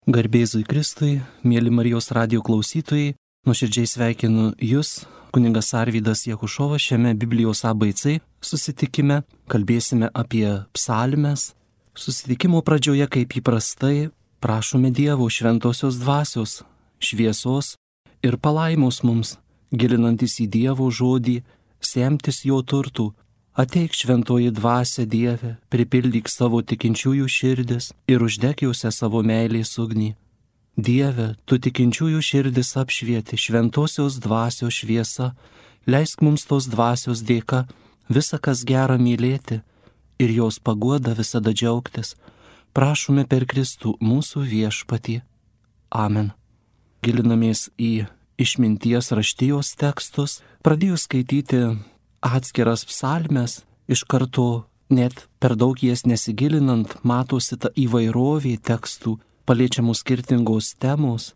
Garbėzui Kristui, mėly Marijos radijo klausytojai, nuoširdžiai sveikinu Jūs, kunigas Arvydas Jakušovas, šiame Biblijos ABC susitikime. Kalbėsime apie psalmes. Susitikimo pradžioje, kaip įprastai, prašome Dievo šventosios dvasios, šviesos ir palaimos mums, gilinantis į Dievo žodį, semtis jo turtų. Ateik šventoji dvasia Dieve, pripildyk savo tikinčiųjų širdis ir uždek juose savo meilės ugnį. Dieve, tu tikinčiųjų širdis apšvieti šventosios dvasios šviesa, leisk mums tos dvasios dėka visą, kas gera mylėti ir jos paguoda visada džiaugtis. Prašome per Kristų mūsų viešpatį. Amen. Gilinamės į išminties raštijos tekstus, pradėjus skaityti atskiras psalmes, iš karto net per daug jas nesigilinant, matosi ta įvairovė tekstų, paliečiamų skirtingos temos.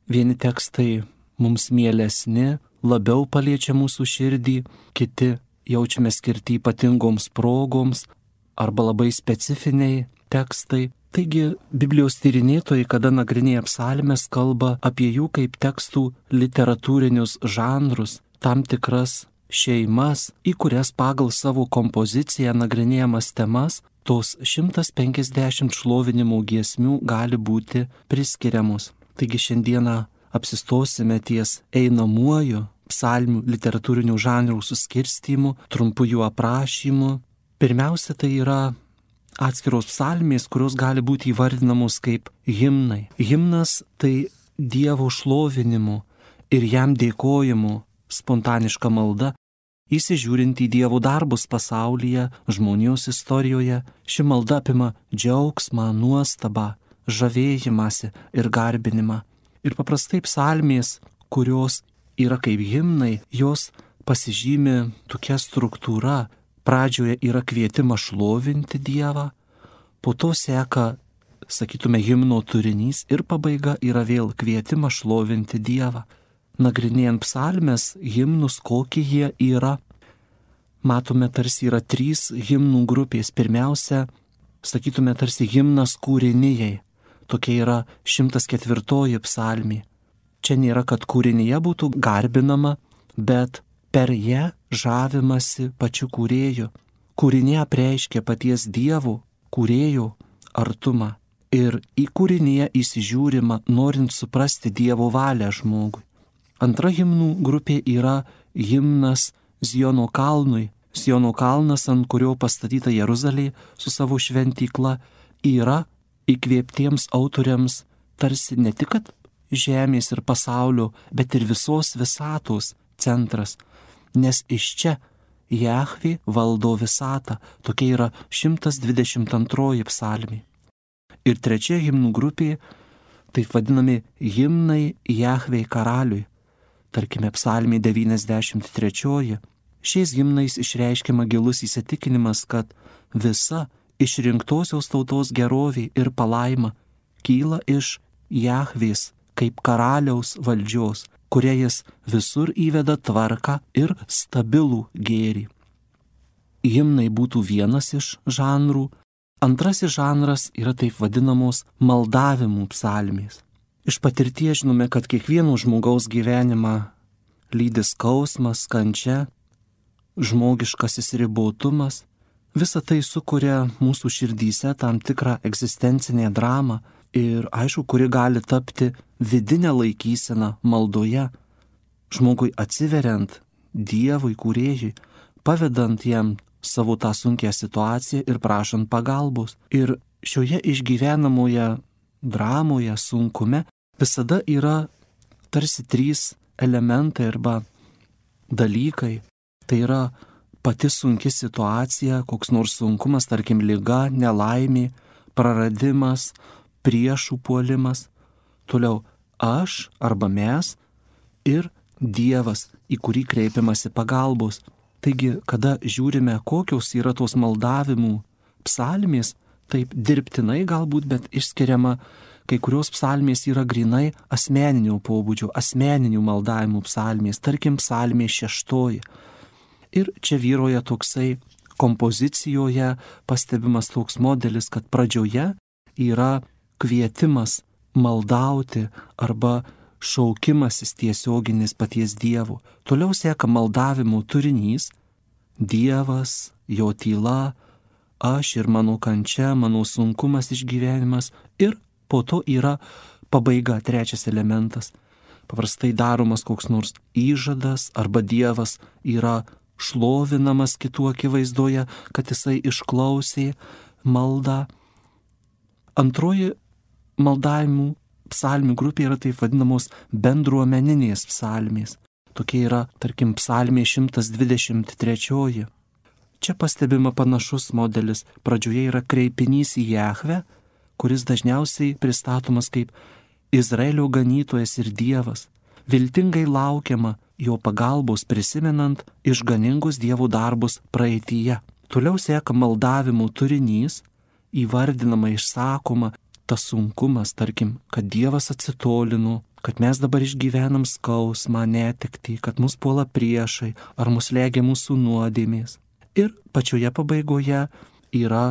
Vieni tekstai mums mielesni, labiau paliečia mūsų širdį, kiti jaučiame skirti ypatingoms progoms arba labai specifiniai tekstai. Taigi Biblijos tyrinėtojai, kada nagrinėja psalmes, kalba apie jų kaip tekstų literatūrinius žanrus, tam tikras šeimas, į kurias pagal savo kompoziciją nagrinėjamas temas tos 150 šlovinimo giesmių gali būti priskiriamos. Taigi šiandieną apsistosime ties einamuoju psalmių literatūrinių žanrų suskirstymu, trumpu jų aprašymu. Pirmiausia, tai yra atskiros psalmės, kurios gali būti įvardinamos kaip himnai. Himnas tai Dievo šlovinimu ir jam dėkojimu spontaniška malda, įsižiūrint į Dievo darbus pasaulyje, žmonijos istorijoje. Ši malda apima džiaugsmą, nuostabą, žavėjimąsi ir garbinimą. Ir paprastai psalmės, kurios yra kaip himnai, jos pasižymi tokia struktūra. Pradžioje yra kvietimas šlovinti Dievą, po to seka, sakytume, himno turinys ir pabaiga yra vėl kvietimas šlovinti Dievą. Nagrinėjant psalmes, himnus, kokie jie yra, matome, tarsi yra 3 himnų grupės. Pirmiausia, sakytume, tarsi himnas kūrinijai. Tokia yra 104 psalmė. Čia nėra, kad kūrinyje būtų garbinama, bet per ją žavimasi pačiu kūrėju. Kūrinė apreiškia paties Dievo, kūrėjo artumą. Ir į kūrinyje įsižiūrima, norint suprasti Dievo valią žmogui. Antra himnų grupė yra himnas Ziono kalnui. Ziono kalnas, ant kurio pastatyta Jeruzalė su savo šventykla, yra įkvėptiems autoriams tarsi ne tik žemės ir pasaulio, bet ir visos visatos centras. Nes iš čia Jahvė valdo visatą. Tokia yra 122 psalmė. Ir trečia himnų grupė, taip vadinami himnai Jahvei karaliui. Tarkime, psalmė 93. Šiais himnais išreiškiama gilus įsitikinimas, kad visa išrinktosios tautos gerovė ir palaima kyla iš Jahvės kaip karaliaus valdžios, kuria jis visur įveda tvarką ir stabilų gėrį. Himnai būtų vienas iš žanrų. Antrasis žanras yra taip vadinamos maldavimų psalmės. Iš patirties žinome, kad kiekvieno žmogaus gyvenimą lydi skausmas, kančia, žmogiškasis ribotumas. Visa tai sukuria mūsų širdyse tam tikrą egzistencinę dramą ir, aišku, kuri gali tapti vidinę laikyseną maldoje, žmogui atsiveriant Dievui kūrėjui, pavedant jam savo tą sunkią situaciją ir prašant pagalbos. Ir šioje išgyvenamoje dramoje, sunkume, visada yra tarsi 3 elementai arba dalykai. Tai yra pati sunki situacija, koks nors sunkumas, tarkim liga, nelaimė, praradimas, priešų puolimas. Toliau aš arba mes ir Dievas, į kurį kreipiamasi pagalbos. Taigi, kada žiūrime, kokios yra tos maldavimų psalmės, taip dirbtinai galbūt, bet išskiriama, kai kurios psalmės yra grinai asmeninio pobūdžio, asmeninių maldavimų psalmės, tarkim psalmė 6. Ir čia vyroja toksai kompozicijoje pastebimas toks modelis, kad pradžioje yra kvietimas maldauti arba šaukimasis tiesioginis paties Dievo. Toliau seka maldavimo turinys - Dievas, jo tyla, aš ir mano kančia, mano sunkumas išgyvenimas. Ir po to yra pabaiga, trečias elementas. Paprastai daromas koks nors įžadas arba Dievas yra šlovinamas kitų akivaizdoje, kad jisai išklausė maldą. Antroji maldavimų psalmių grupė yra taip vadinamos bendruomeninės psalmės. Tokia yra, tarkim, psalmė 123. Čia pastebima panašus modelis. Pradžioje yra kreipinys į Jahvę, kuris dažniausiai pristatomas kaip Izraelio ganytojas ir Dievas. Viltingai laukiama jo pagalbos prisimenant išganingus Dievo darbus praeityje. Toliau seka maldavimų turinys, įvardinama, išsakoma tas sunkumas, tarkim, kad Dievas atsitolino, kad mes dabar išgyvenam skausmą, netektį, kad mus puola priešai ar mus legia mūsų nuodėmės. Ir pačioje pabaigoje yra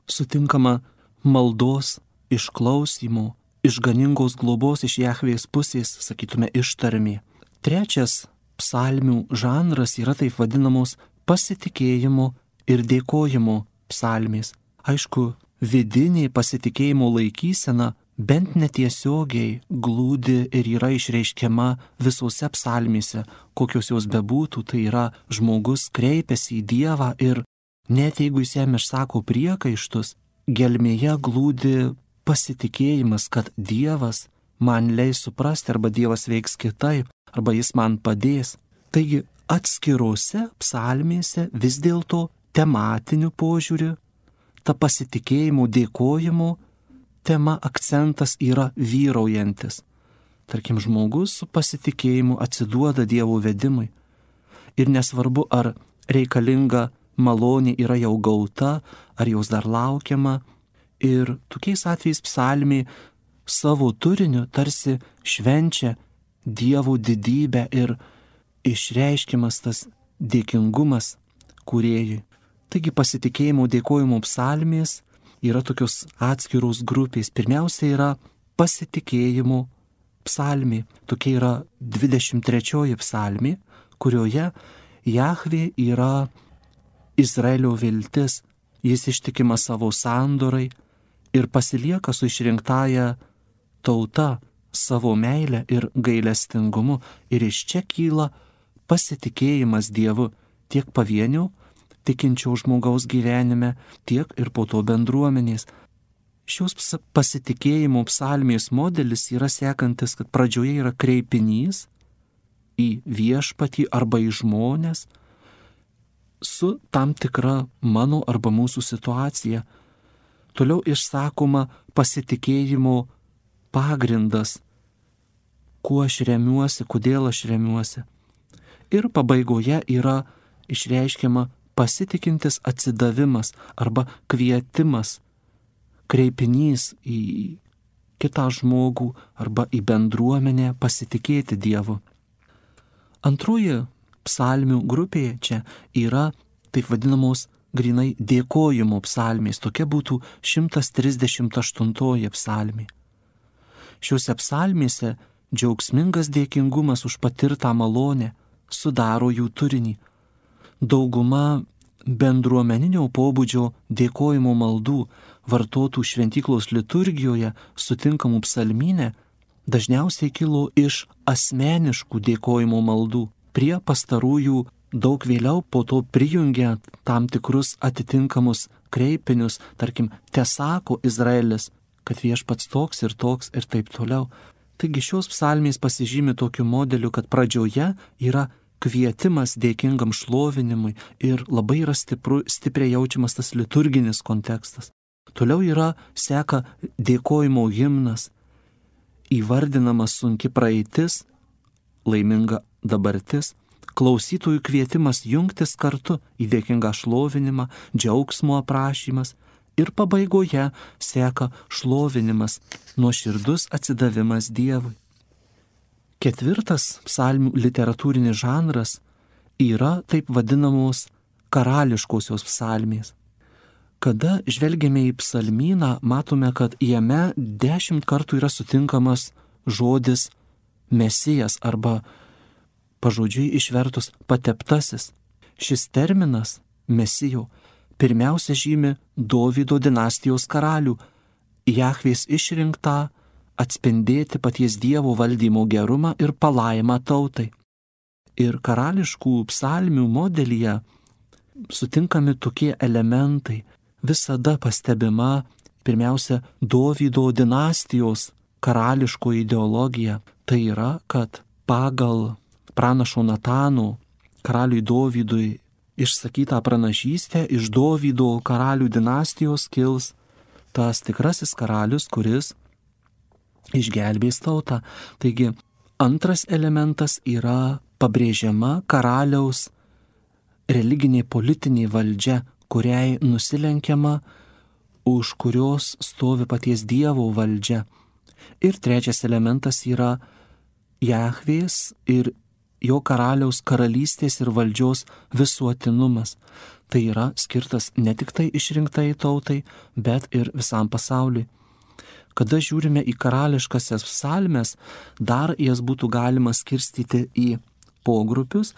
sutinkama maldos išklausimo, išganingos globos iš Jahvės pusės, sakytume, ištarmė. Trečias psalmių žanras yra taip vadinamos pasitikėjimo ir dėkojimo psalmės. Aišku, vidinė pasitikėjimo laikysena bent netiesiogiai glūdi ir yra išreiškiama visose psalmėse, kokios jos bebūtų. Tai yra, žmogus kreipiasi į Dievą ir net jeigu jis jam išsako priekaištus, gelmėje glūdi pasitikėjimas, kad Dievas man leis suprasti arba Dievas veiks kitaip, arba jis man padės. Taigi atskirose psalmėse vis dėlto tematiniu požiūriu ta pasitikėjimo, dėkojimo tema, akcentas yra vyraujantis. Tarkim, žmogus su pasitikėjimu atsiduoda Dievo vedimui. Ir nesvarbu, ar reikalinga malonė yra jau gauta, ar jos dar laukiama. Ir tokiais atvejais psalmė savo turiniu tarsi švenčia Dievo didybę ir išreiškiamas tas dėkingumas kūrėjui. Taigi pasitikėjimo, dėkojimo psalmės yra tokios atskiros grupės. Pirmiausia yra pasitikėjimo psalmė. Tokia yra 23 psalmė, kurioje Jahvė yra Izraelio viltis. Jis ištikima savo sandorai ir pasilieka su išrinktąja tauta savo meilę ir gailestingumu. Ir iš čia kyla pasitikėjimas Dievu tiek pavienių tikinčio žmogaus gyvenime, tiek ir po to bendruomenės. Šios pasitikėjimo psalmės modelis yra sekantis, kad pradžioje yra kreipinys į viešpatį arba į žmonės su tam tikra mano arba mūsų situacija. Toliau išsakoma pasitikėjimo pagrindas, kuo aš remiuosi, kodėl aš remiuosi. Ir pabaigoje yra išreiškiama pasitikintis atsidavimas arba kvietimas, kreipinys į kitą žmogų arba į bendruomenę pasitikėti Dievu. Antroji psalmių grupė čia yra taip vadinamos grinai dėkojimo psalmės. Tokia būtų 138 psalmė. Šiuose psalmėse džiaugsmingas dėkingumas už patirtą malonę sudaro jų turinį. Dauguma bendruomeninio pobūdžio dėkojimo maldų vartotų šventyklos liturgijoje sutinkamų psalmynė dažniausiai kilo iš asmeniškų dėkojimo maldų. Prie pastarųjų daug vėliau po to prijungia tam tikrus atitinkamus kreipinius, tarkim, tesako Izraelis, kad viešpats toks ir taip toliau. Taigi šios psalmės pasižymi tokiu modeliu, kad pradžioje yra kvietimas dėkingam šlovinimui ir labai yra stipriai jaučiamas tas liturginis kontekstas. Toliau seka dėkojimo himnas, įvardinama sunki praeitis, laiminga dabartis, klausytojų kvietimas jungtis kartu į dėkingą šlovinimą, džiaugsmo aprašymas ir pabaigoje seka šlovinimas, nuoširdus atsidavimas Dievui. Ketvirtas psalmių literatūrinis žanras yra taip vadinamos karališkosios psalmės. Kada žvelgiame į psalmyną, matome, kad jame 10 kartų yra sutinkamas žodis Mesijas arba pažodžiui išvertus pateptasis. Šis terminas Mesijo pirmiausia žymi Dovydo dinastijos karalių, Jahvės išrinktą atspindėti paties Dievo valdymo gerumą ir palaimą tautai. Ir karališkų psalmių modelyje sutinkami tokie elementai. Visada pastebima pirmiausia Dovydo dinastijos karališko ideologija. Tai yra, kad pagal pranašo Natano karaliui Dovydui išsakytą pranašystę iš Dovydo karalių dinastijos kils tas tikrasis karalius, kuris išgelbės tautą. Taigi antras elementas yra pabrėžiama karaliaus religinė politinė valdžia, kuriai nusilenkiama, už kurios stovi paties Dievo valdžia. Ir trečias elementas yra Jahvės ir jo karaliaus karalystės ir valdžios visuotinumas. Tai yra skirtas ne tik tai išrinktai tautai, bet ir visam pasauliui. Kada žiūrime į karališkasias psalmes, dar jas būtų galima skirstyti į pogrupius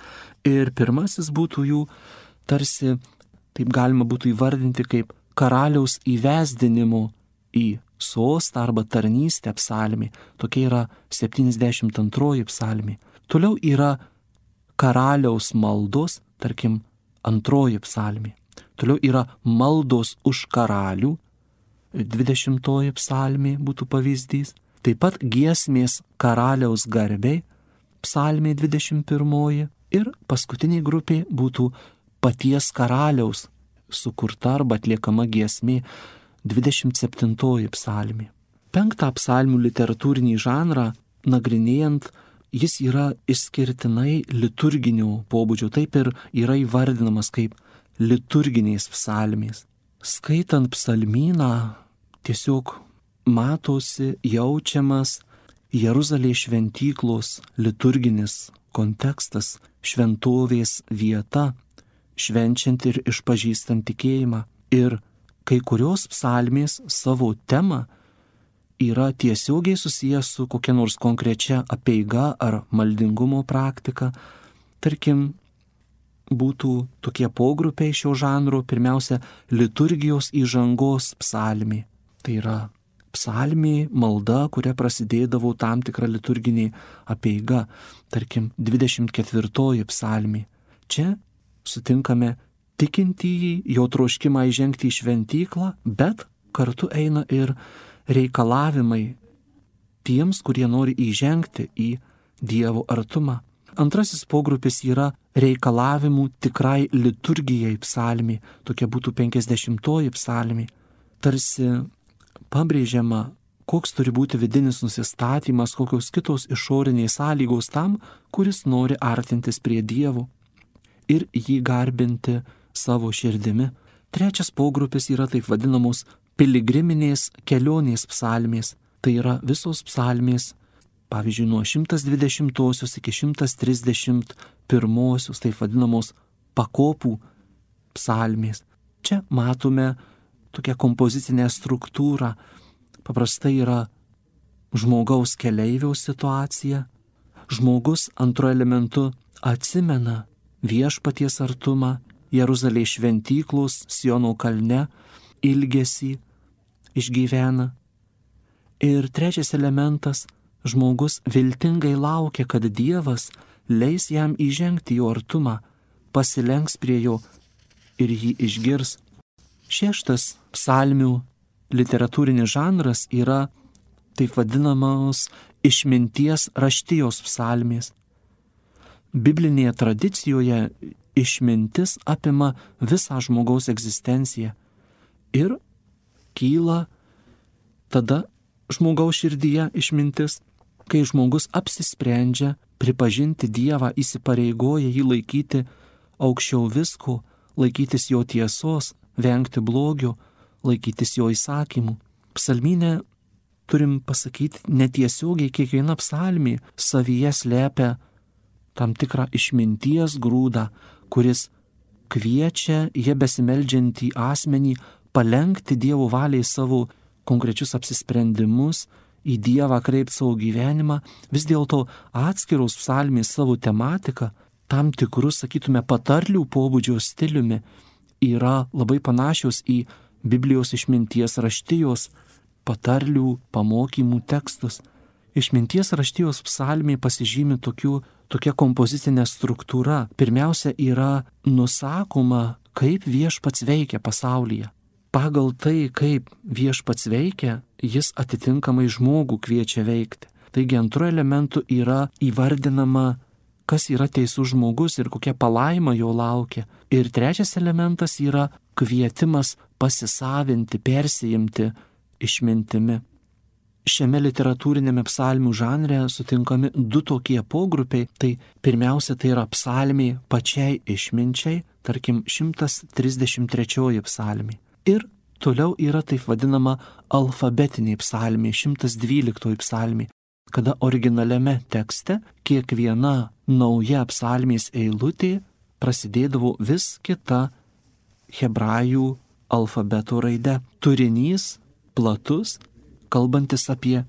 ir pirmasis būtų jų tarsi, taip galima būtų įvardinti kaip karaliaus įvesdinimo į sostą arba tarnystę psalmė. Tokia yra 72 psalmė. Toliau yra karaliaus maldos, tarkim, 2 psalmė. Toliau yra maldos už karalių, 20 psalmė būtų pavyzdys. Taip pat giesmės karaliaus garbei, psalmė 21. Ir paskutinė grupė būtų paties karaliaus sukurta arba atliekama giesmė, 27 psalmė. 5 psalmių literatūrinį žanrą nagrinėjant, jis yra išskirtinai liturginio pobūdžio, taip ir yra įvardinamas kaip liturginės psalmės. Skaitant psalmyną, tiesiog matosi, jaučiamas Jeruzalės šventyklos liturginis kontekstas, šventovės vieta, švenčiant ir išpažįstant tikėjimą. Ir kai kurios psalmės savo temą yra tiesiogiai susijęs su kokia nors konkrečia apeiga ar maldingumo praktika. Tarkim, būtų tokie pogrupiai šio žanro, pirmiausia, liturgijos įžangos psalmė. Tai yra psalmė, malda, kuria prasidėdavo tam tikra liturginė apeiga, tarkim 24 psalmė. Čia sutinkame tikintįjį, jo troškimą įžengti į šventyklą, bet kartu eina ir reikalavimai tiems, kurie nori įžengti į Dievo artumą. Antrasis pogrupis yra reikalavimų tikrai liturgijai psalmė, tokia būtų 50 psalmė. Tarsi pabrėžiama, koks turi būti vidinis nusistatymas, kokios kitos išorinės sąlygos tam, kuris nori artintis prie Dievo ir jį garbinti savo širdimi. Trečias pogrupis yra taip vadinamos piligriminės kelionės psalmės. Tai yra visos psalmės, pavyzdžiui, nuo 120 iki 131, taip vadinamos pakopų psalmės. Čia matome tokią kompozicinę struktūrą. Paprastai yra žmogaus keleiviaus situacija. Žmogus antru elementu atsimena viešpaties artumą, Jeruzalės šventyklos, Siono kalne, ilgesį išgyvena. Ir trečias elementas, žmogus viltingai laukia, kad Dievas leis jam įžengti jo artumą, pasilenks prie jo ir jį išgirs. Šeštas psalmių literatūrinis žanras yra taip vadinamos išminties raštijos psalmės. Biblinėje tradicijoje išmintis apima visą žmogaus egzistenciją ir kyla tada žmogaus širdyje išmintis, kai žmogus apsisprendžia pripažinti Dievą, įsipareigoja jį laikyti aukščiau visko, laikytis jo tiesos, vengti blogio, laikytis jo įsakymų. Psalmynė, turim pasakyti, netiesiogiai kiekviena psalmė savyje slepia tam tikrą išminties grūdą, kuris kviečia jie besimeldžiantį asmenį palenkti Dievo valiai savo konkrečius apsisprendimus, į Dievą kreipti savo gyvenimą, vis dėlto atskiros psalmės savo tematiką, tam tikrus, sakytume, patarlių pobūdžio stiliumi, yra labai panašios į Biblijos išminties raštijos patarlių pamokymų tekstus. Išminties raštijos psalmė pasižymi tokia kompozicinė struktūra. Pirmiausia, yra nusakoma, kaip viešpats veikia pasaulyje. Pagal tai, kaip viešpats veikia, jis atitinkamai žmogų kviečia veikti. Taigi antru elementu yra įvardinama, kas yra teisus žmogus ir kokia palaima jo laukia. Ir trečias elementas yra kvietimas pasisavinti, persijimti išmintimi. Šiame literatūrinėme psalmių žanre sutinkami du tokie pogrupiai. Tai pirmiausia, tai yra psalmiai pačiai išminčiai, tarkim 133 psalmė. Ir toliau yra taip vadinama alfabetiniai psalmiai, 112 psalmė, kada originaliame tekste kiekviena nauja psalmės eilutė prasidėdavo vis kita hebrajų alfabeto raide. Turinys platus, kalbantis apie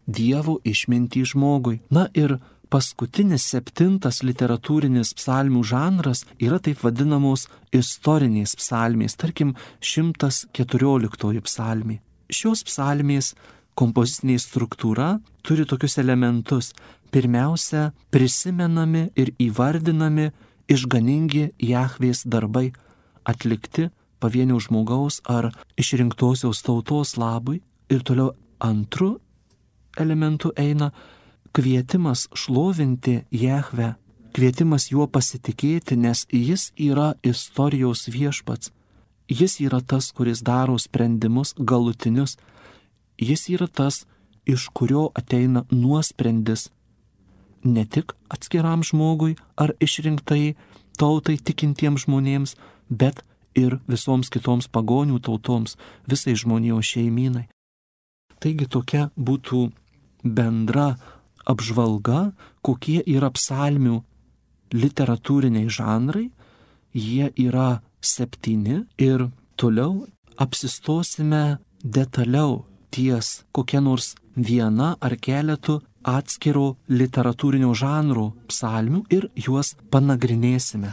Dievo išmintį žmogui. Na ir paskutinis 7 literatūrinis psalmių žanras yra taip vadinamos istorinės psalmės, tarkim 114 psalmė. Šios psalmės kompozicinė struktūra turi tokius elementus. Pirmiausia, prisimenami ir įvardinami išganingi Jahvės darbai, atlikti pavienio žmogaus ar išrinktosios tautos labui. Ir toliau antru elementu eina kvietimas šlovinti Jahvę, kvietimas juo pasitikėti, nes jis yra istorijos viešpats. Jis yra tas, kuris daro sprendimus galutinius. Jis yra tas, iš kurio ateina nuosprendis ne tik atskiram žmogui ar išrinktai tautai tikintiems žmonėms, bet ir visoms kitoms pagonių tautoms, visai žmonijos šeimynai. Taigi tokia būtų bendra apžvalga, kokie yra psalmių literatūriniai žanrai. Jie yra 7 ir toliau apsistosime detaliau ties kokia nors viena ar keletu atskiro literatūrinio žanro psalmių ir juos panagrinėsime.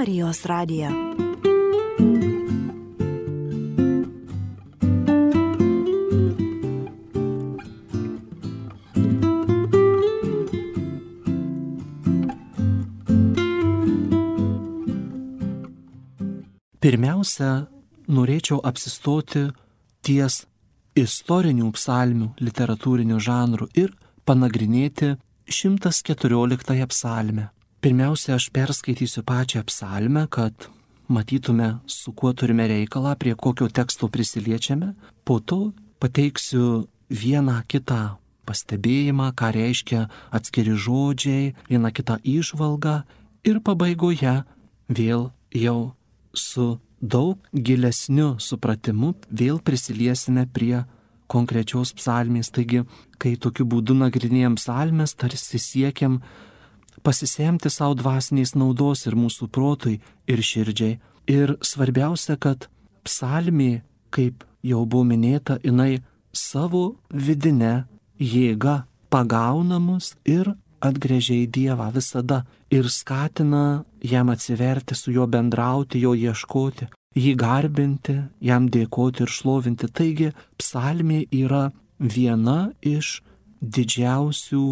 Marijos radiją. Pirmiausia, norėčiau apsistoti ties istorinių psalmių literatūrinių žanrų ir panagrinėti 114 psalmę. Pirmiausia, aš perskaitysiu pačią psalmę, kad matytume, su kuo turime reikalą, prie kokio teksto prisiliečiame. Po to pateiksiu vieną kitą pastebėjimą, ką reiškia atskiri žodžiai, vieną kitą įžvalgą ir pabaigoje vėl jau su daug gilesniu supratimu vėl prisiliesime prie konkrečios psalmės. Taigi, kai tokiu būdu nagrinėjam psalmes, tarsi siekiam pasisemti savo dvasinės naudos ir mūsų protui, ir širdžiai. Ir svarbiausia, kad psalmė, kaip jau buvo minėta, jinai savo vidinę jėgą pagauna mus ir atgręžia į Dievą visada ir skatina jam atsiverti, su juo bendrauti, jo ieškoti, jį garbinti, jam dėkoti ir šlovinti. Taigi, psalmė yra viena iš didžiausių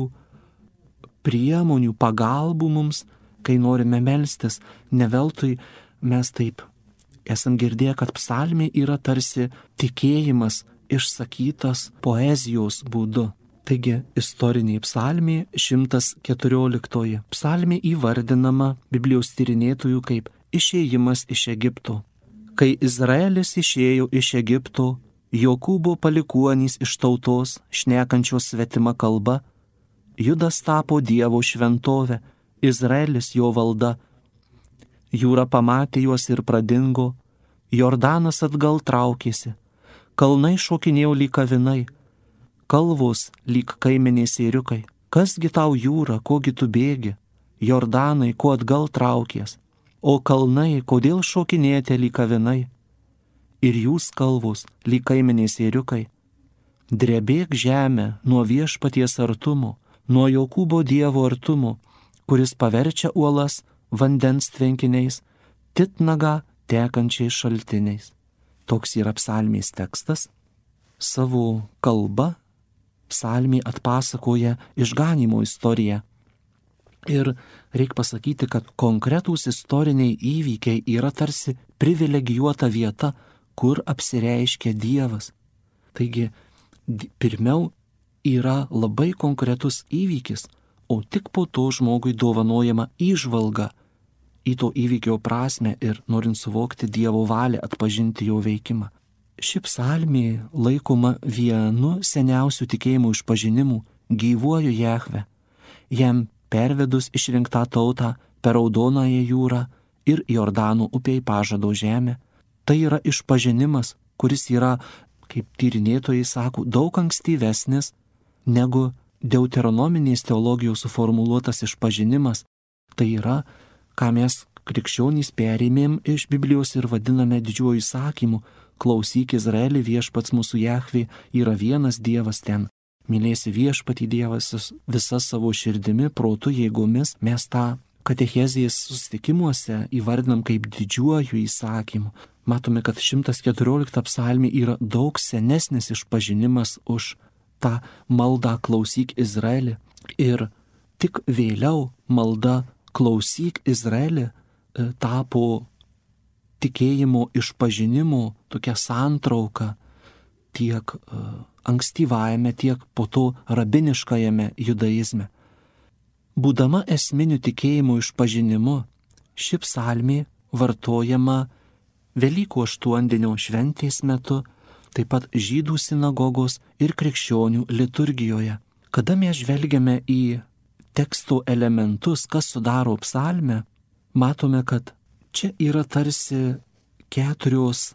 priemonių, pagalbų mums, kai norime melstis. Ne veltui mes taip esam girdėję, kad psalmė yra tarsi tikėjimas išsakytas poezijos būdu. Taigi, istorinė psalmė 114. Psalmė įvardinama Biblijos tyrinėtojų kaip išėjimas iš Egipto. Kai Izraelis išėjo iš Egipto, Jokūbo palikuonys iš tautos, šnekančios svetima kalba, Judas tapo Dievo šventovė, Izraelis jo valda. Jūra pamatė juos ir pradingo, Jordanas atgal traukėsi, kalnai šokinėjo lyg avinai, kalvos lyg kaimenės ėriukai. Kasgi tau jūra, kogi tu bėgi, Jordanai, ko atgal traukies, o kalnai, kodėl šokinėjate lyg avinai, ir jūs kalvos lyg kaimenės ėriukai. Drebėk žemę nuo viešpaties artumo, nuo Jokūbo Dievo artumo, kuris paverčia uolas vandens tvenkiniais, titnagą tekančiais šaltiniais. Toks yra psalmės tekstas. Savo kalba psalmė atpasakoja išganymo istoriją. Ir reikia pasakyti, kad konkretūs istoriniai įvykiai yra tarsi privilegijuota vieta, kur apsireiškia Dievas. Taigi, pirmiau yra labai konkretus įvykis, o tik po to žmogui dovanojama įžvalga į to įvykio prasme ir norint suvokti Dievo valią, atpažinti jo veikimą. Ši psalmė laikoma vienu seniausių tikėjimų išpažinimų gyvuoju Jahve, jam pervedus išrinktą tautą per Raudonąją jūrą ir Jordano upei pažado žemę. Tai yra išpažinimas, kuris yra, kaip tyrinėtojai sako, daug ankstyvesnis negu deuteronominės teologijos suformuluotas išpažinimas. Tai yra, ką mes krikščionys perėmėm iš Biblijos ir vadiname didžiuoju įsakymu: klausyk Izraeli, viešpats mūsų Jahvė yra vienas Dievas ten. Mylėsi viešpatį Dievas visą savo širdimi, protu, jėgomis. Mes tą katechezės susitikimuose įvardinam kaip didžiuoju įsakymu. Matome, kad 114 psalmė yra daug senesnis išpažinimas už tą maldą klausyk Izraeli. Ir tik vėliau malda klausyk Izraeli tapo tikėjimo išpažinimo tokia santrauka tiek ankstyvajame, tiek po to rabiniškajame judaizme. Būdama esminiu tikėjimo išpažinimu, ši psalmė vartojama Velykų aštuondienio šventės metu, taip pat žydų sinagogos ir krikščionių liturgijoje. Kada mes žvelgiame į teksto elementus, kas sudaro psalmę, matome, kad čia yra tarsi 4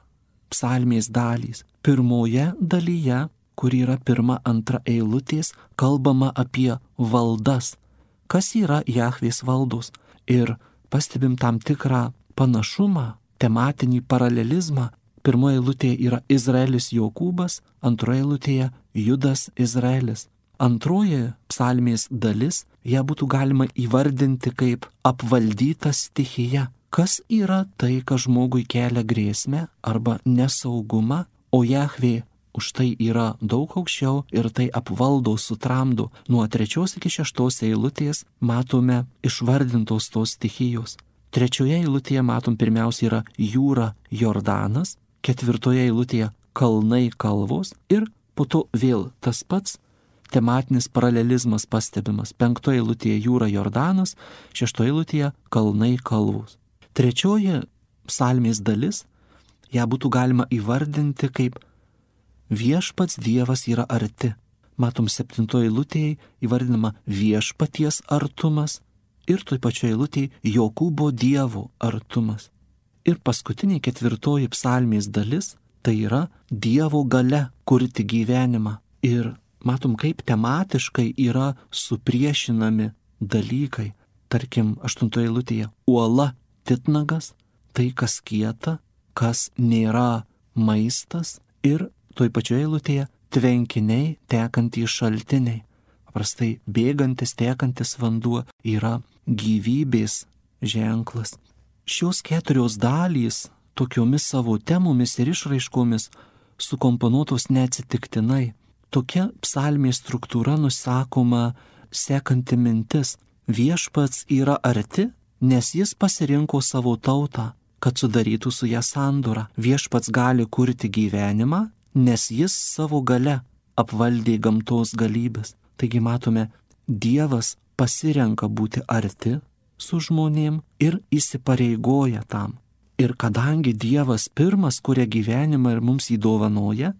psalmės dalys. Pirmoje dalyje, kur yra 1-2 eilutės, kalbama apie valdas. Kas yra Jahvės valdos? Ir pastebim tam tikrą panašumą, tematinį paralelizmą. Pirmoje eilutėje yra Izraelis Jokūbas, antroje eilutėje Judas Izraelis. Antroji psalmės dalis, ją būtų galima įvardinti kaip apvaldyta stichija, kas yra tai, kas žmogui kelia grėsmę arba nesaugumą, o Jahvė už tai yra daug aukščiau ir tai apvaldo, sutramdo. Nuo 3 iki 6 eilutės matome išvardintos tos stichijos. 3 eilutėje matom pirmiausia yra jūra Jordanas, 4 eilutėje kalnai kalvos ir po to vėl tas pats tematinis paralelizmas pastebimas. 5 eilutėje jūra Jordanas, 6 eilutėje kalnai kalvos. 3 psalmės dalis, ją būtų galima įvardinti kaip viešpats Dievas yra arti. Matom 7 eilutėje įvardinama viešpaties artumas ir toj pačioje eilutėje Jokūbo Dievo artumas. Ir paskutinė 4 psalmės dalis tai yra Dievo galia kurti gyvenimą. Ir matom, kaip tematiškai yra supriešinami dalykai. Tarkim, 8 eilutėje uola titnagas, tai kas kieta, kas nėra maistas, ir toj pačioje eilutėje tvenkiniai, tekantys šaltiniai. Paprastai bėgantis, tekantis vanduo yra gyvybės ženklas. Šios 4 dalys tokiomis savo temomis ir išraiškomis sukomponuotos neatsitiktinai. Tokia psalmės struktūra nusakoma sekanti mintis. Viešpats yra arti, nes jis pasirinko savo tautą, kad sudarytų su ją sandorą. Viešpats gali kurti gyvenimą, nes jis savo gale apvaldė gamtos galybės. Taigi matome, Dievas pasirenka būti arti su žmonėm ir įsipareigoja tam. Ir kadangi Dievas pirmas kuria gyvenimą ir mums jį dovanoja,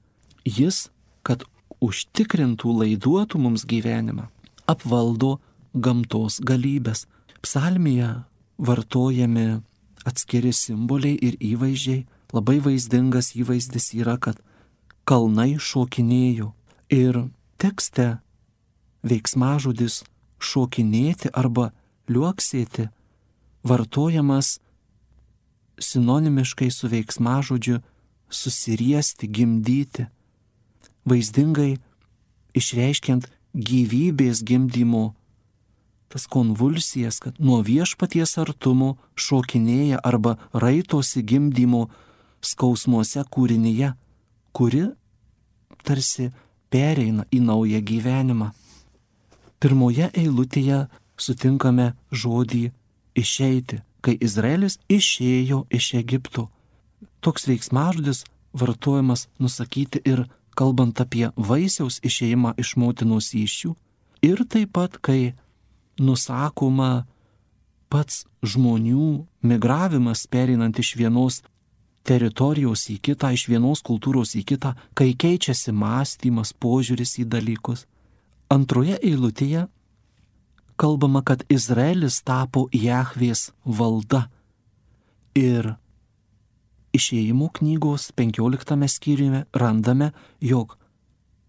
jis, kad užtikrintų, laiduotų mums gyvenimą, apvaldo gamtos galybės. Psalmėje vartojami atskiri simboliai ir įvaizdžiai. Labai vaizdingas įvaizdis yra, kad kalnai šokinėjo. Ir tekste veiksmažodis šokinėti arba liuoksėti vartojamas sinonimiškai su veiksmažodžiu susiriesti, gimdyti. Vaizdingai išreiškiant gyvybės gimdymo tas konvulsijas, kad nuo viešpaties artumo šokinėja arba raitosi gimdymo skausmuose kūrinyje, kuri tarsi pereina į naują gyvenimą. 1 eilutėje sutinkame žodį išeiti, kai Izraelis išėjo iš Egipto. Toks veiksmažodis vartojamas nusakyti ir kalbant apie vaisiaus išėjimą iš motinos įsčių, ir taip pat, kai nusakoma pats žmonių migravimas pereinant iš vienos teritorijos į kitą, iš vienos kultūros į kitą, kai keičiasi mąstymas, požiūris į dalykus. 2 eilutėje kalbama, kad Izraelis tapo Jahvės valda. Ir Išėjimų knygos 15 skyriuje randame, jog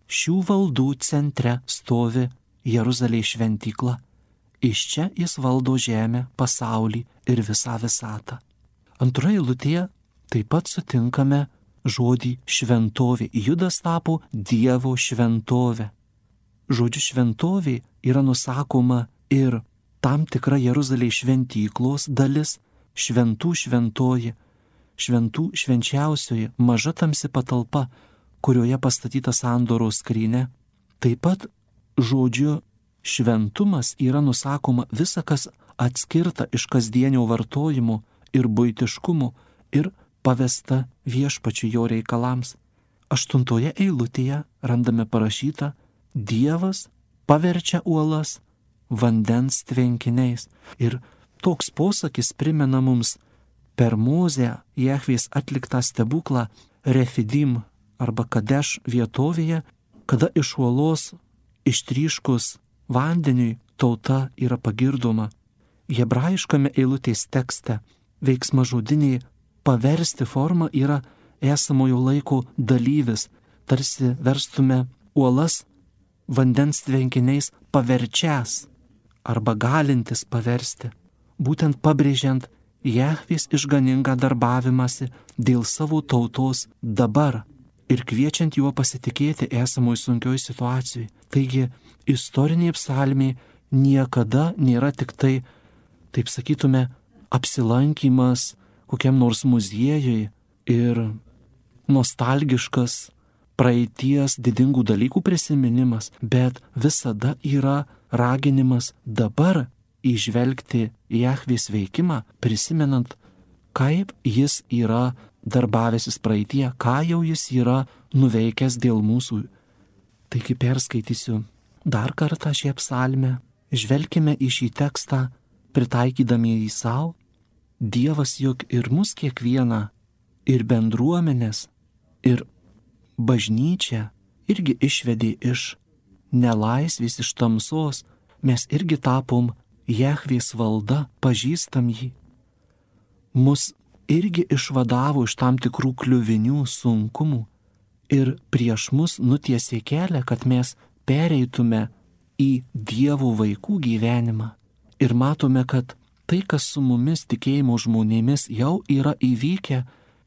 šių valdų centre stovi Jeruzalės šventykla. Iš čia jis valdo žemę, pasaulį ir visą visatą. 2 eilutėje taip pat sutinkame žodį šventovė. Judas tapo Dievo šventovė. Žodžiu šventovė yra nusakoma ir tam tikra Jeruzalės šventyklos dalis, šventų šventoji, šventų švenčiausioji, maža tamsi patalpa, kurioje pastatyta sandoros skrynia. Taip pat žodžiu šventumas yra nusakoma visa, kas atskirta iš kasdienio vartojimo ir buitiškumo ir pavesta viešpačiu jo reikalams. 8 eilutėje randame parašyta: Dievas paverčia uolas vandens tvenkiniais. Ir toks posakis primena mums per Mozę Jahvės atliktą stebuklą Refidim arba Kadeš vietovėje, kada iš uolos ištryškus vandeniui tauta yra pagirdoma. Hebrajiškame eilutės tekste veiksmažodiniai paversti forma yra esamojo laiko dalyvis, tarsi verstume uolas vandens tvenkiniais paverčias arba galintis paversti, būtent pabrėžiant Jahvės išganingą darbavimąsi dėl savo tautos dabar ir kviečiant juo pasitikėti esamoj sunkioj situacijai. Taigi, istorinė psalmė niekada nėra tik tai, taip sakytume, apsilankimas kokiam nors muziejui ir nostalgiškas praeities didingų dalykų prisiminimas, bet visada yra raginimas dabar įžvelgti Jahvės veikimą, prisimenant, kaip jis yra darbavęsis praeitie, ką jau jis yra nuveikęs dėl mūsų. Taigi perskaitysiu dar kartą šią psalmę, žvelkime į šį tekstą, pritaikydami jį savo. Dievas juk ir mus kiekvieną, ir bendruomenės, ir bažnyčią irgi išvedė iš nelaisvės, iš tamsos. Mes irgi tapom Jahvės valda, pažįstam jį. Mus irgi išvadavo iš tam tikrų kliuvinių, sunkumų ir prieš mus nutiesė kelią, kad mes pereitume į Dievo vaikų gyvenimą. Ir matome, kad tai, kas su mumis tikėjimo žmonėmis jau yra įvykę,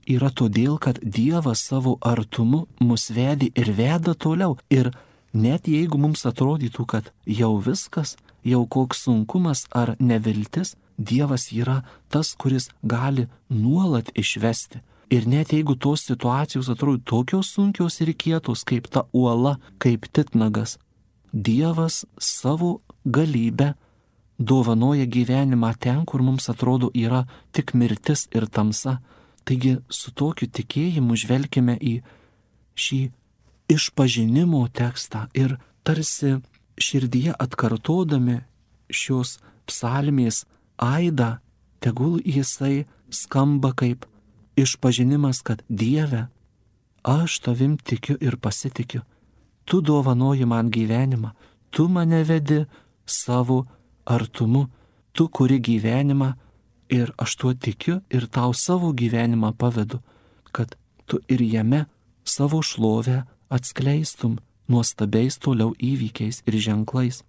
yra todėl, kad Dievas savo artumu mus vedė ir veda toliau. Ir net jeigu mums atrodytų, kad jau viskas, jau koks sunkumas ar neviltis, Dievas yra tas, kuris gali nuolat išvesti. Ir net jeigu tos situacijos atrodo tokios sunkios ir kietos, kaip ta uola, kaip titnagas, Dievas savo galybę dovanoja gyvenimą ten, kur mums atrodo yra tik mirtis ir tamsa. Taigi su tokiu tikėjimu žvelkime į šį išpažinimo tekstą ir tarsi širdyje atkartodami šios psalmės aidą, tegul jisai skamba kaip išpažinimas, kad Dieve, aš tavim tikiu ir pasitikiu. Tu dovanoji man gyvenimą, tu mane vedi savo artumu, tu kuri gyvenimą ir aš tuo tikiu ir tau savo gyvenimą pavedu, kad tu ir jame savo šlovę atskleistum nuostabiais toliau įvykiais ir ženklais.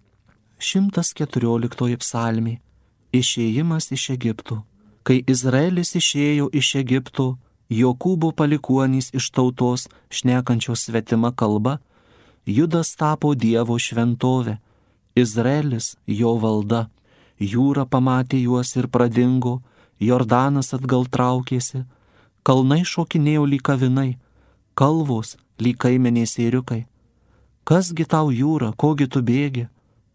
114 psalmė. Išėjimas iš Egipto. Kai Izraelis išėjo iš Egipto, Jokūbo palikuonys iš tautos šnekančios svetima kalba, Judas tapo Dievo šventovė, Izraelis jo valda. Jūra pamatė juos ir pradingo, Jordanas atgal traukėsi, kalnai šokinėjo lyg avinai, kalvos lyg kaimenės ėriukai. Kasgi tau jūra, kogi tu bėgi,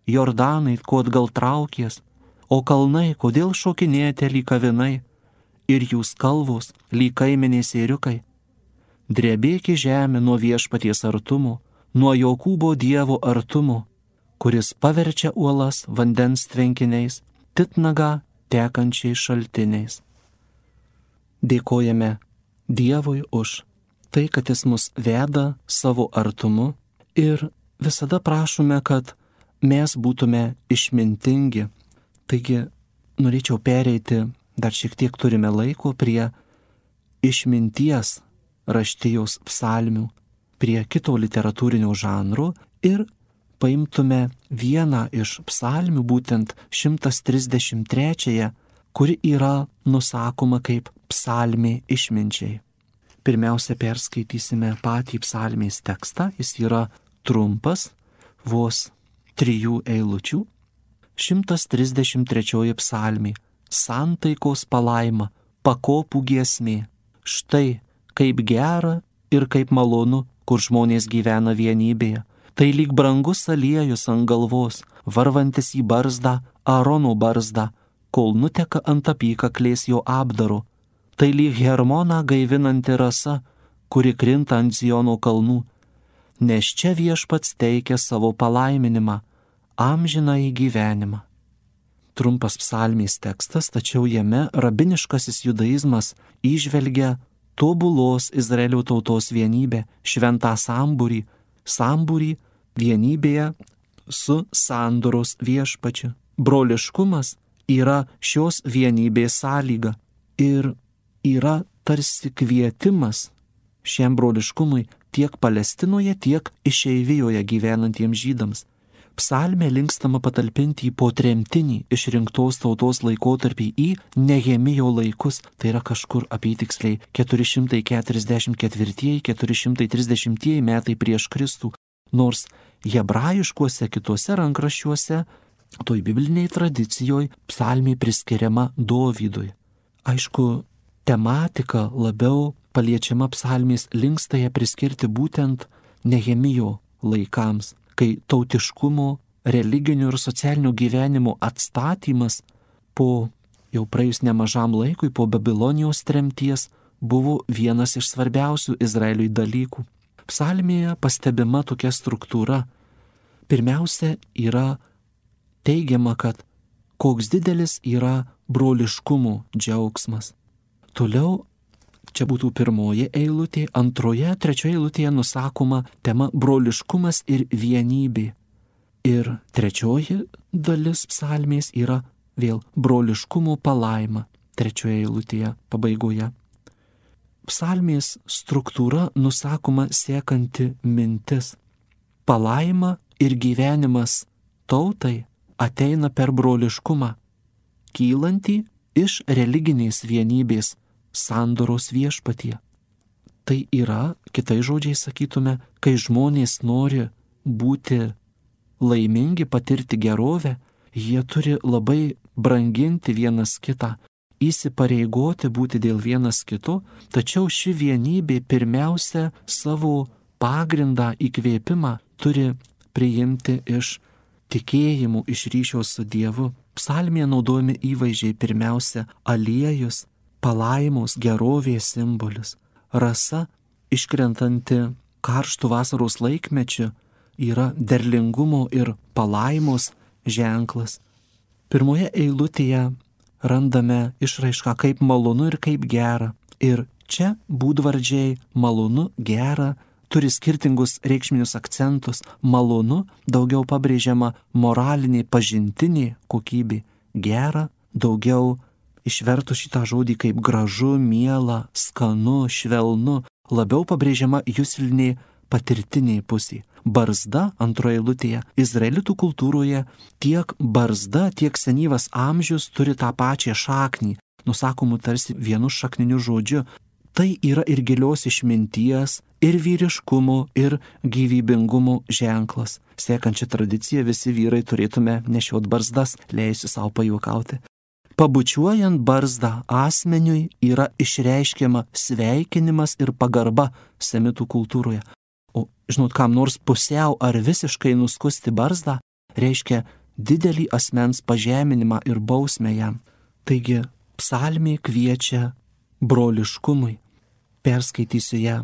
Jordanai, ko atgal traukies, o kalnai, kodėl šokinėjate lyg avinai, ir jūs kalvos lyg kaimenės ėriukai. Drebėki žemė nuo viešpaties artumo, nuo Jokūbo Dievo artumo, kuris paverčia uolas vandens tvenkiniais, titnagą tekančiais šaltiniais. Dėkojame Dievui už tai, kad jis mus veda savo artumu ir visada prašome, kad mes būtume išmintingi. Taigi norėčiau pereiti, dar šiek tiek turime laiko, prie išminties raštijos psalmių, prie kito literatūrinio žanro ir paimtume vieną iš psalmių, būtent 133, kuri yra nusakoma kaip psalmė išminčiai. Pirmiausia, perskaitysime patį psalmės tekstą, jis yra trumpas, vos 3 eilučių. 133 psalmė. Santaikos palaima, pakopų giesmė. Štai kaip gera ir kaip malonu, kur žmonės gyvena vienybėje. Tai lyg brangus aliejus ant galvos, varvantis į barzdą, Aarono barzdą, kol nuteka ant apykaklės jo apdaro. Tai lyg Hermoną gaivinanti rasa, kuri krinta ant Ziono kalnų. Nes čia viešpats teikia savo palaiminimą, amžinąjį gyvenimą. Trumpas psalmės tekstas, tačiau jame rabiniškasis judaizmas įžvelgia tobulos Izraelio tautos vienybę, šventą sambūrį vienybėje su sandoros viešpačiu. Broliškumas yra šios vienybės sąlyga ir yra tarsi kvietimas šiam broliškumui tiek Palestinoje, tiek išeivijoje gyvenantiems žydams. Psalmė linkstama patalpinti į potremtinį išrinktos tautos laikotarpį į Nehemijo laikus, tai yra kažkur apytiksliai 444-430 metai prieš Kristų, nors hebrajiškuose kituose rankraščiuose toj bibliniai tradicijoje psalmė priskiriama Dovydui. Aišku, tematika labiau paliečiama psalmės linksta ją priskirti būtent Nehemijo laikams, kai tautiškumo, religinio ir socialinio gyvenimo atstatymas po jau praėjus nemažam laikui po Babilonijos tremties buvo vienas iš svarbiausių Izraeliui dalykų. Psalmėje pastebima tokia struktūra. Pirmiausia yra teigiama, kad koks didelis yra broliškumo džiaugsmas. Toliau, čia būtų pirmoji eilutė, antroje, trečioje eilutėje nusakoma tema broliškumas ir vienybė. Ir trečioji dalis psalmės yra vėl broliškumo palaima, trečioje eilutėje pabaigoje. Psalmės struktūra nusakoma sekanti mintis. Palaima ir gyvenimas tautai ateina per broliškumą, kylantį iš religinės vienybės sandoros viešpatie. Tai yra, kitai žodžiai sakytume, kai žmonės nori būti laimingi, patirti gerovę, jie turi labai branginti vienas kitą, įsipareigoti būti dėl vienas kito, tačiau ši vienybė pirmiausia savo pagrindą įkvėpimą turi priimti iš tikėjimų, iš ryšio su Dievu. Psalmėje naudojami įvaizdžiai pirmiausia aliejus, palaimos, gerovės simbolis. Rasa, iškrentanti karštų vasaros laikmečiu, yra derlingumo ir palaimos ženklas. Pirmoje eilutėje randame išraišką kaip malonu ir kaip gera. Ir čia būdvardžiai malonu, gera turi skirtingus reikšminius akcentus. Malonu daugiau pabrėžiama moralinė, pažintinė kokybė. Gera daugiau išvertus šitą žodį kaip gražu, miela, skanu, švelnu, labiau pabrėžiama juslinė patirtinė pusė. Barzda antroje eilutėje izraelitų kultūroje tiek barzda, tiek senyvas amžius turi tą pačią šaknį, nusakomų tarsi vienu šakniniu žodžiu. Tai yra ir gilios išminties, ir vyriškumo, ir gyvybingumo ženklas. Sekančią tradiciją visi vyrai turėtume nešiot barzdas, leisiu savo pajuokauti. Pabučiuojant barzdą asmeniui yra išreiškiama sveikinimas ir pagarba semitų kultūroje. O žinot, kam nors pusiau ar visiškai nuskusti barzdą reiškia didelį asmens pažeminimą ir bausmę jam. Taigi psalmė kviečia broliškumui. Perskaitysiu ją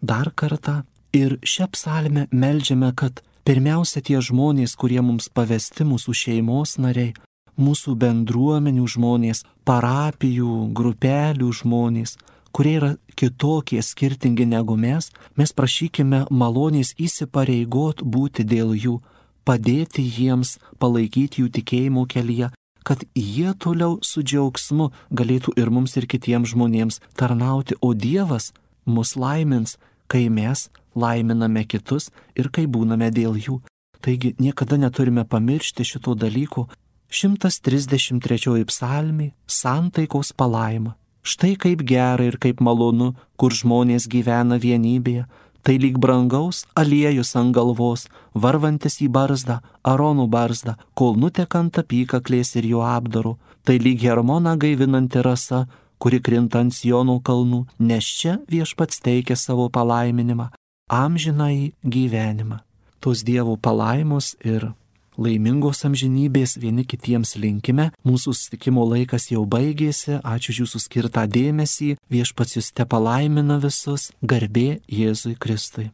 dar kartą ir šią psalmę meldžiame, kad pirmiausia tie žmonės, kurie mums pavesti, mūsų šeimos nariai, mūsų bendruomenių žmonės, parapijų, grupelių žmonės, kurie yra kitokie, skirtingi negu mes prašykime malonės įsipareigot būti dėl jų, padėti jiems, palaikyti jų tikėjimo kelyje, kad jie toliau su džiaugsmu galėtų ir mums ir kitiems žmonėms tarnauti, o Dievas mus laimins, kai mes laiminame kitus ir kai būname dėl jų. Taigi niekada neturime pamiršti šito dalyko. 133 psalmė – santaikos palaima. Štai kaip gera ir kaip malonu, kur žmonės gyvena vienybėje. Tai lyg brangaus aliejus ant galvos, varvantis į barzdą, Arono barzdą, kol nutekant apykaklės ir jo apdaru. Tai lyg Hermoną gaivinanti rasa, kuri krinta ant Siono kalnų, nes čia viešpats teikia savo palaiminimą, amžinąjį gyvenimą. Tos Dievo palaimos ir laimingos amžinybės vieni kitiems linkime. Mūsų susitikimo laikas jau baigėsi. Ačiū už jūsų skirtą dėmesį. Viešpats jus tepalaimina visus. Garbė Jėzui Kristui.